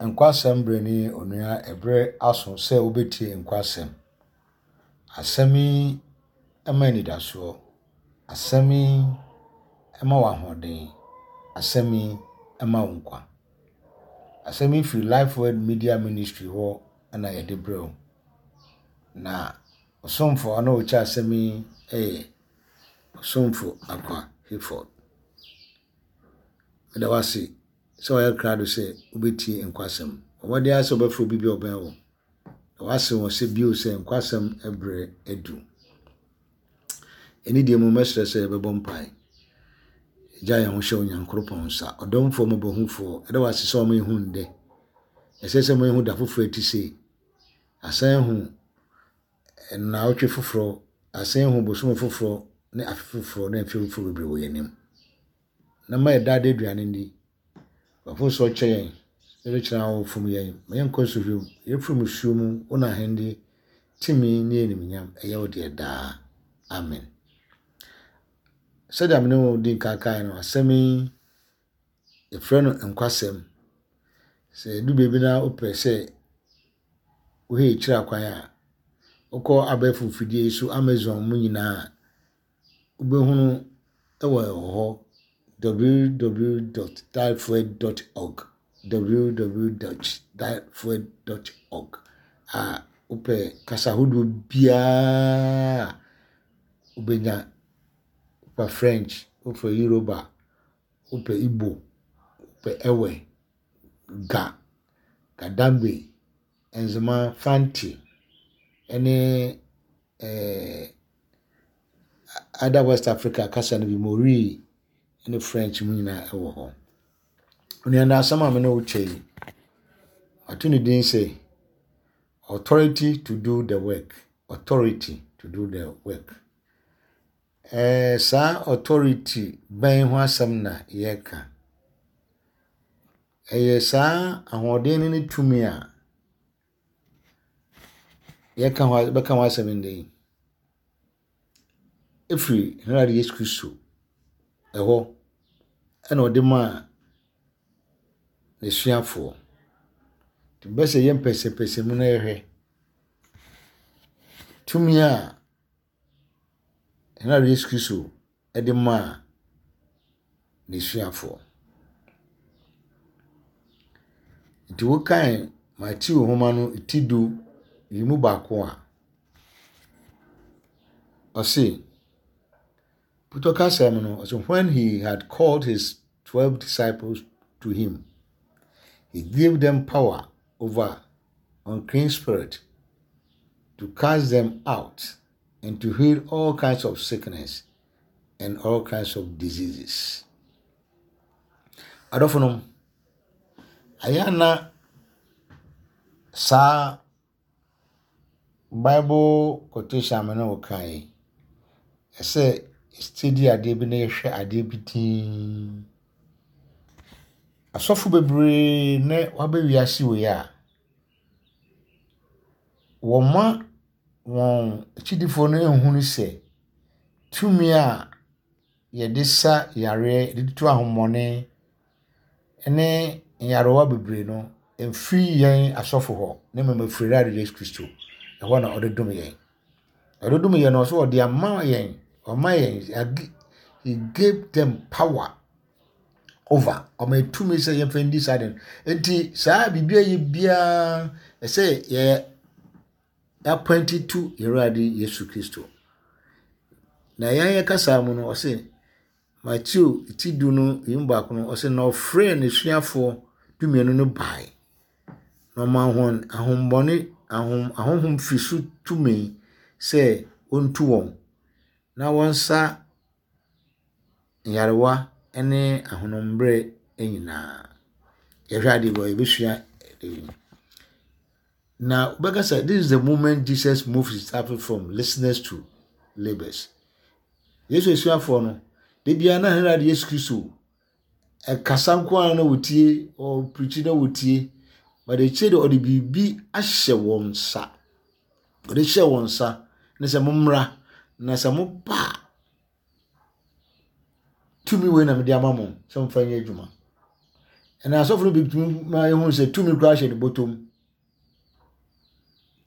Nkwasɛm berɛ ni onua ɛberɛ aso sɛ wobɛtie nkwasɛm. Asɛm yi ma anidasoɔ. Asɛm yi ma wo ahoɔden. Asɛm yi ma wo nkwa. Asɛm yi firi Life Word Media Ministry hɔ na yɛde brɛ wo. Na ɔsomfo a na ɔkyɛ asɛm yi yɛ Ɔsomfo Akwa Hayford. Meda wo ase sɛ woayɛ krado sɛ wobɛtie nkwasɛm. Bɔ mmɔden ara sɛ wobɛfrɛ obi bi a ɔbɛn wo, na woase wɔn sɛ bio sɛ nkwasɛm berɛ adu. Ɛne deɛ mu mɛsrɛ sɛ yɛbɛbɔ mpae. Gya yɛn ho hyɛ Onyankoropɔn nsa. Ɔdomfoɔ mmɔbɔhufoɔ, ɛda wo ase sɛ wɔma yɛhu ndɛ. Ɛsɛ sɛ ma yɛhu da foforɔ ɛte sei. Asan ahu nnaawɔtwe foforɔ, asan ahu bosome foforɔ ne afe foforɔ ne mfe foforɔ bebree wɔ yɛn anim. Na ma yɛn daa da aduane nni. W'afosoɔ kyɛ yɛn, na de kyerɛ wo fom yɛn. Ma yɛnkɔ nsɔhwɛ mu, yɛfiri mmusuo mu, wo na ahennie, tumi ne animuonyam ɛyɛ wo deɛ daa. Amen. Sɛdeɛ me ne wo di nkan kaeɛ no, asɛm yi yɛfrɛ no nkwasɛm. Sɛ ɛdu baabi na wopɛ sɛ wohwɛ akyiri akwan a, wokɔ abɛɛfo mfidie yi so, Amazon mu nyinaa a, Wobɛhunu wɔ hɔ www dot typhoid dot org www dot typhoid dot org a wopɛ kasa ahodoɔ biara a wobɛnya. Wopɛ French, wopɛ Yoruba, wopɛ Igbo, wopɛ Ewe, Ga, Ga-Dangme, Nzema, Fante ne ɛɛɛ other West Africa kasa no bi, Mori ne French mu nyinaa wɔ hɔ. Onua nnɛ asɛm a me ne wo kyɛ yi, mato ne din sɛ Authority to do the work. Authority to do the work. Ɛɛ saa authority bɛn ho asɛm na yɛreka? Ɛyɛ saa ahoɔden no ne tumi a yɛka ho bɛka ho asɛm ndɛ yi, efiri hɛn Awurade Yesu Kristo hɔ na ɔde maa n'esuafoɔ. Ntsi mebɛpɛ sɛ yɛyɛ mpɛsɛmpɛsɛmu na yɛhwɛ tumi a hɛn Awurade Yesu Kristo de maa n'asuafoɔ. Nti wokan Mateo nwoma no ti du yi mu baako a, ɔse, Putɔ kasa mu no, ɔse, when he had called his 12 disciples to him, he gave them power over unclean spirit to cast them out and to heal all kinds of sickness and all kinds of diseases. Adɔfonom, ayɛ na saa Bible quotation me ne wo kan yi, ɛsɛ steady adeɛ bi na yɛhwɛ adeɛ bi dinn. Asɔfo bebree nɛ wɔaba wiase wei a, wɔma wɔn akyidifoɔ no nhunu sɛ tumi a yɛde sa yareɛ, yɛde tu ahonhommɔne ne nyarewa bebree no, ɛmfiri yɛn asɔfo hɔ, na mmom ɛfiri Awurade Yesu Kristo. Ɛhɔ na ɔde dom yɛn. Ɔde dom yɛn no, ɔsɛ ɔde ama yɛn, ɔma yɛn, he gave them power over. Ɔma yɛn tumi sɛ yɛmfa ndi saa de no. Nti saa biribi a yɛ biara, ɛsɛ yɛ appointed to yɛn Awurade Yesu Kristo. Na yɛn yɛ kasa mu no, ɔse Mateo ti du no yi mu baako no, ɔse na ɔfrɛɛ n'asuafoɔ dumienu no bae, na ɔmaa wɔn ahombɔne ahom ahonhom fi so tumi sɛ wɔntu wɔn, na wɔnsa nyarewa ne ahonombrɛ nyinaa. Yɛhwɛ adeɛ bi a yɛbɛsua ɛyi. Na wobɛka sɛ this is the moment Jesus moved his disciples from listeners to labourers. Yesu asuafoɔ no, da biara na Herod Yesu Kristo ɛkasa nko ara na wɔtie, ɔpreachi na wɔtie. But akyire de ɔde biribi ahyɛ wɔn nsa. Ɔde hyɛ wɔn nsa ne sɛ mommra na sɛ moba a Tumi wei na mede ama mo sɛ momfa nyɛ adwuma. Ɛna asɔfo no bi tumi ma ehu sɛ tumi koraa hyɛ ne bɔtɔm.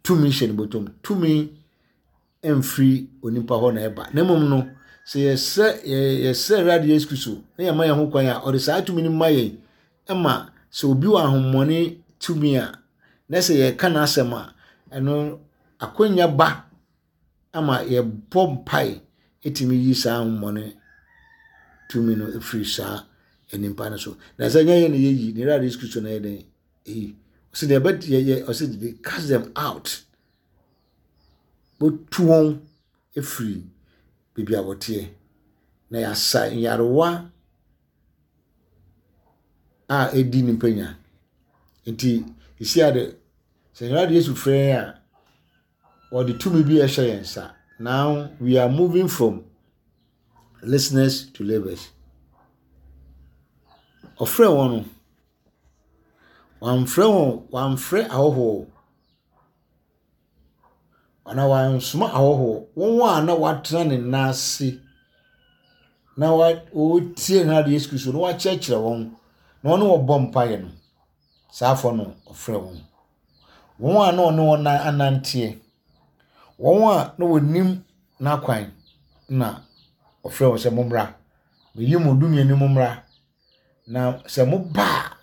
Tumi hyɛ ne bɔtɔm. Tumi mfiri onipa hɔ na ɛba. Na mmom no, sɛ yɛsrɛ yɛsrɛ Awurade Yesu Kristo na yɛma yɛn ho kwan a, ɔde saa tumi no ma yɛn ma sɛ obi wɔ ahommɔne tumi a, na sɛ yɛka n'asɛm a, ɛno akwanya ba ama yɛbɔ mpae tumi yi saa ahommɔne tumi no firi saa nipa no so. Na sɛ nyɛ yɛn na yɛyi, na Awurade Yesu Kristo na yɛ dɛn ɛyi. Ɔsɛ deɛ ɛbɛ yɛ ɔsɛ they cast them out. Wɔtu wɔn afiri baabi a wɔteɛ, na wɔasa nyarewa a ɛdi nnipa nya. Nti, seesei ara de, sɛ Awurade Yesu frɛ yɛn a, ɔde tumi bi rehyɛ yɛn nsa. Now we are moving from listeners to livers. Ɔfrɛ wɔn no, wamfrɛ wɔn, wamfrɛ ahɔhoɔ. Anaa wansoma ahɔhoɔ, wɔn a na wɔatena ne nan ase na wɔretie Awurade Yesu Kristo na wakyerɛkyerɛ wɔn na wɔne wɔn bɔ mpaeɛ no, saa afoɔ no ɔfrɛ wɔn. Wɔn a na ɔne wɔn ananteɛ, wɔn a na wɔnim n'akwan na ɔfrɛ wɔn sɛ mommra, meyi mo dumienu mommra. Na sɛ moba a,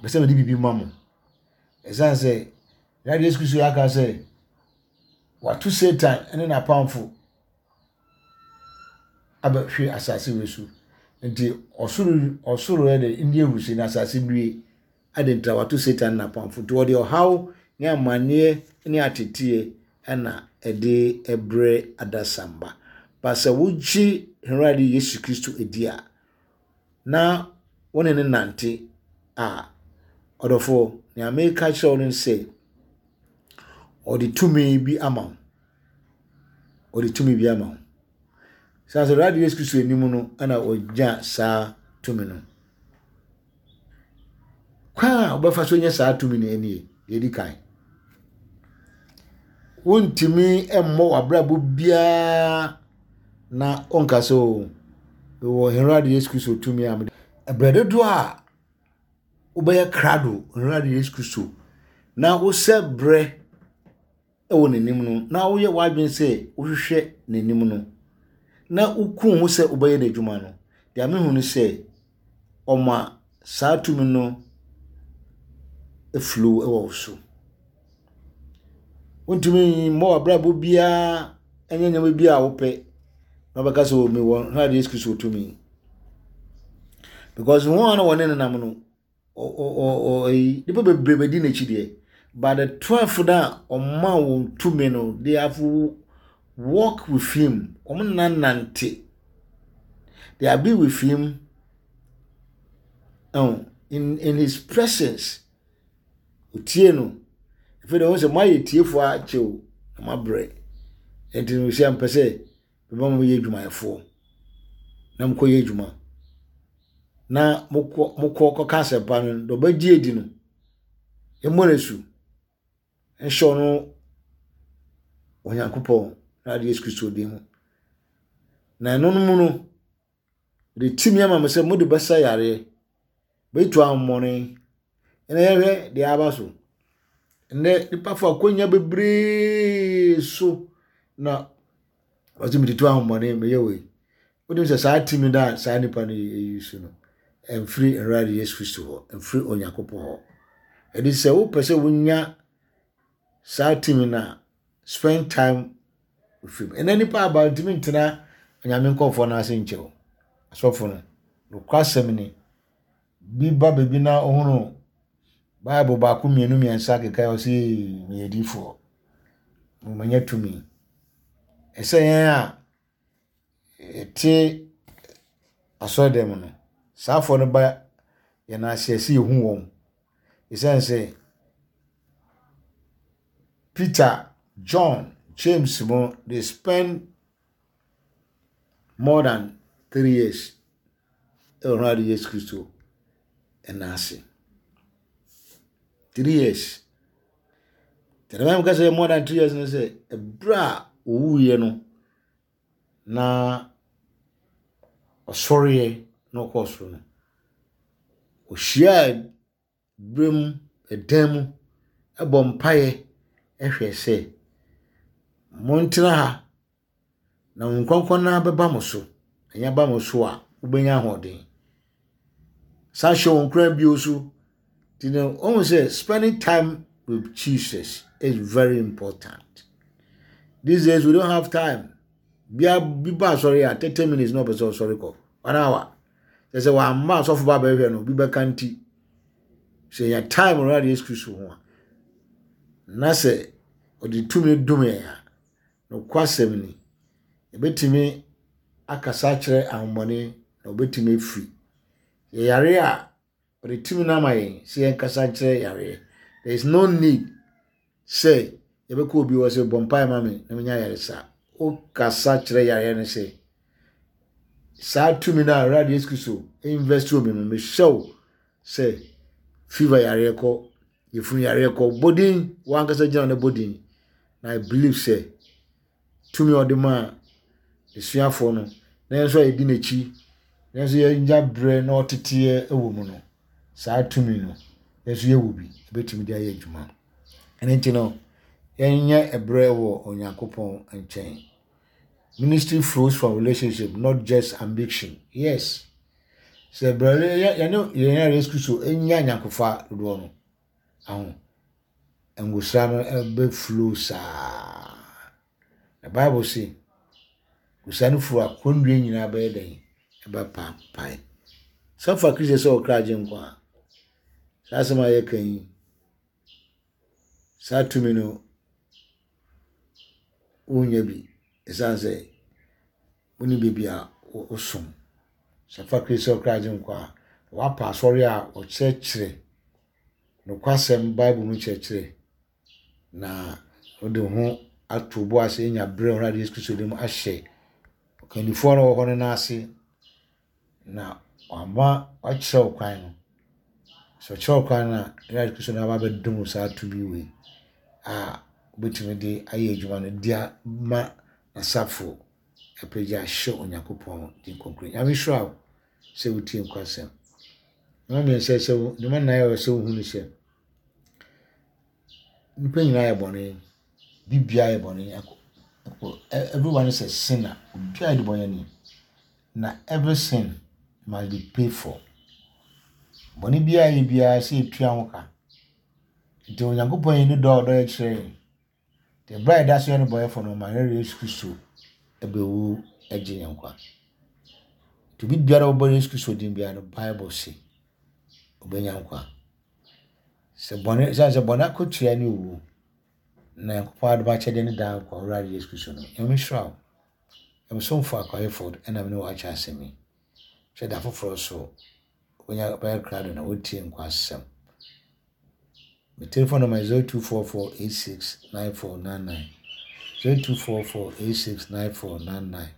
mepɛ sɛ mede biribi ma mo. Ɛsiane sɛ Awurade Yesu Kristo aka sɛ wato Satan ne n'apamfo abɛhwe asase wei so. Nti ɔsoro ɔsoro yɛ de ndi ahurusi na asase nnue. Ade nti wato Satan ne n'apamfo. Nti wɔde ɔhaw ne amanneɛ ne ateteɛ na ɛde brɛ adasamba. Ba sɛ wogye Awurade Yesu Kristo di a, na wo ne no nante a, ɔdɔfoɔ, nea mereka akyerɛ wo ne sɛ, ɔde tumi bi ama wo. Ɔde tumi bi ama wo. Sɛ sɛ Awurade Yesu Kristo anim no na ɔgya saa tumi no. Kwan a wobɛfa so anya saa tumi no nie, deɛ ɛdi kan. Wontumi mmɔ w'abrabɔ biara na wonka sɛ o, mewɔ yɛn Awurade Yesu Kristo tumi a mede. Berɛ dodoɔ a wobɛyɛ krado Awurade Yesu Kristo na wosɛ berɛ wɔ n'anim no, na woyɛ w'adwene sɛ wohwehwɛ n'anim no, na woku wo ho sɛ wobɛyɛ n'adwuma no, deɛ mehu ne sɛ ɔma saa tumi no flow wɔ wo so. Wontumi mmɔ w'abrabɔ biara nyɛ nneɛma bi a wopɛ na wobɛka sɛ mewɔ Awurade Yesu Kristo tumi. Because wɔn a na wɔne no nam no, nnipa bebree bɛdi n'akyi deɛ, but the 12 no a ɔma wɔn tumi no, they have walk with him. Wɔn nna nante. They have been with him oh, in his presence. Otie no. Afei de wɔn sɛ moayɛ tiefoɔ akyɛ o, na moabrɛ. Nti no sɛ mpɛ sɛ mema mo yɛ adwumayɛfoɔ na mokɔyɛ adwuma na mokɔ mokɔ kɔka asɛmpa no deɛ ɔbɛgye adi no yɛmmɔ no asu nhyɛ ɔno Onyankopɔn na ade Yesu Kristo din mu na ɛno no mu no de tumi ama mo sɛ mode bɛsa yareɛ bɛtu ahomɔne ɛna yɛhwɛ deɛ aba so Nnɛ nnipa fa akwannya bebree so na wɔsɛ metutu ahomɔne meyɛ wei. Wonim sɛ saa tumi no a saa nipa no yi so no, ɛmfiri Awurade Yesu Kristo hɔ, ɛmfiri Onyankopɔn hɔ. Ɛde sɛ wopɛ sɛ wonya saa tumi no a, spend time with him. Ɛnɛ nipa aba ntumi ntena Onyame nkurɔfoɔ no ase nkyɛ o. Asɔfo no, nokwasɛm ni, bi ba baabi na ɔhunu Bible baako mmienu mmiɛnsa keka ɔsɛ meyɛ difoɔ manya tumi. Ɛsɛ yɛn a yɛte asɔredan mu no, saa afoɔ no ba yɛn ase ɛsɛ yɛhu wɔn. Ɛsiane sɛ Peter, John, James mo they spend more than 3 years ɛwɔ Awurade Yesu Kristo ɛna ase. 3 years. Tẹ̀lé mi kasa more than 3 years no sɛ ɛberɛ a owuiɛ no na ɔsɔreɛ na ɔkɔɔ soro no. Ɔhyiaa berɛ mu, ɛdan mu, bɔ mpaeɛ hwɛ sɛ, montena ha na Honhom Kronkron no ara bɛba mo so. Na ɛnya ba mo so a, mobɛnya ahoɔden. San hyɛ wɔn nkuran bio so. Nti no, wɔn sɛ spending time with Jesus is very important. These days we don't have time. Bia bi ba asɔre a 30 minutes na ɔpɛ sɛ ɔsɔre kɔ. 1 hour. Kyerɛ sɛ wamma asɔfo ba bɛhwɛ no, obi bɛka nti. Sɛ yɛ time Awurade Yesu Kristo ho a, na sɛ ɔde tumi dom yɛn a, nokwasɛm ni, yɛbɛtumi akasa akyerɛ ahommɔne na ɔbɛtumi afiri. Yɛyare a, ɔde tumi no ama yɛn sɛ yɛnkasa nkyerɛ yareɛ. There is no need sɛ yɛbɛkɔ obi hɔ sɛ bɔ mpaeɛ ma me na menya ayaresa. Wokasa kyerɛ yareɛ no sɛ saa tumi no a Awurade Yesu Kristo invest wɔ me mu, mehyɛ wo sɛ fever yareɛ kɔ, yɛfunu yareɛ kɔ, bɔ din, wankasa gyina no bɔ din. Na I believe sɛ tumi a ɔde maa asuafoɔ no, na yɛn nso a yɛdi n'akyi, na yɛn nso yɛnya berɛ na ɔteteɛ wɔ mu no, saa tumi no, yɛn nso yɛwɔ bi, yɛbɛtumi de ayɛ adwuma. Ɛno nti no, yɛnyɛ ɛberɛ wɔ Onyankopɔn nkyɛn. Ministry flows from relationship, not just ambition. Yes. Sɛ berɛ yɛne yɛn Yesu Kristo nya nyankofa dodoɔ no, aho, ngosra no bɛ flow saa. Na Bible se, ngosra no flow a, kɔnnua nyinaa bɛyɛ dɛn? Ɛbɛpaapae. Sɛ fa Kristo sɛ ɔkra agye nkwa a, saa asɛm a yɛka yi, saa tumi no, wonnya bi. Ɛsiane sɛ wonni baabi a wosom. Sɛ fa Kristo sɛ ɔkra agye nkwa a, woapa asɔre a wɔkyerɛkyerɛ nokwasɛm Bible mu nkyerɛkyerɛ na wode wo ho ato wo bo ase anya berɛ a Awurade Yesu Kristo de mu ahyɛ ɔkandifoɔ no wɔ hɔ no nan ase na wama wakyerɛ wo kwan no. Sɛ ɔkyerɛ wo kwan no a, Awurade Kristo no aba abɛdom wo saa tumi wei a wobɛtumi de ayɛ adwuma no de ama n'asafo apagya ahyɛ Onyankopɔn din kronkron. Nyame nhyira wo sɛ wotie nkwasɛm. Nneɛma mmiɛnsa sɛ nneɛma nnan a ɛwɔ sɛ wohu ne sɛ nnipa nyinaa yɛ bɔne, biribiara yɛ bɔne. Everyone is a sinner. Obiara yɛ bɔne na every sin must be paid for. Bɔne biara yɛ biara sɛ yɛtua ho ka. Nti Onyankopɔn yi ne dɔ a ɔdɔ yɛ kyerɛ yɛn. Nti ɛberɛ a yɛda so yɛ nnebɔneyɛfoɔ no, ɔmaa yɛn Yesu Kristo bɛwu gye yɛn nkwa. Nti obi biara a ɔbɔ Yesu Kristo din biara no, Bible se ɔbɛnya nkwa. Sɛ bɔne, ɛsiane sɛ bɔne akatua ne owuo, na Nyankopɔn adom akyɛdeɛ ne daa nkwa, Owurade Yesu Kristo no. Nyame nhyira wo. Ɛmsomfo Akwa Hayford ɛna me ne wo akyɛ asɛm yi. Hwɛ da foforɔ so, wobɛnya bɛyɛ krado na wotie nkwa asɛm. Me telephone number is 0244869499. 0244869499.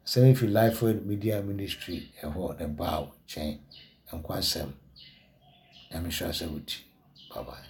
Asɛm yi fi Lifeword Media Ministry ɛhɔ na ɛbaa wo nkyɛn. Nkwa asɛm. Nyame nhyira sɛ wotie. Bye bye.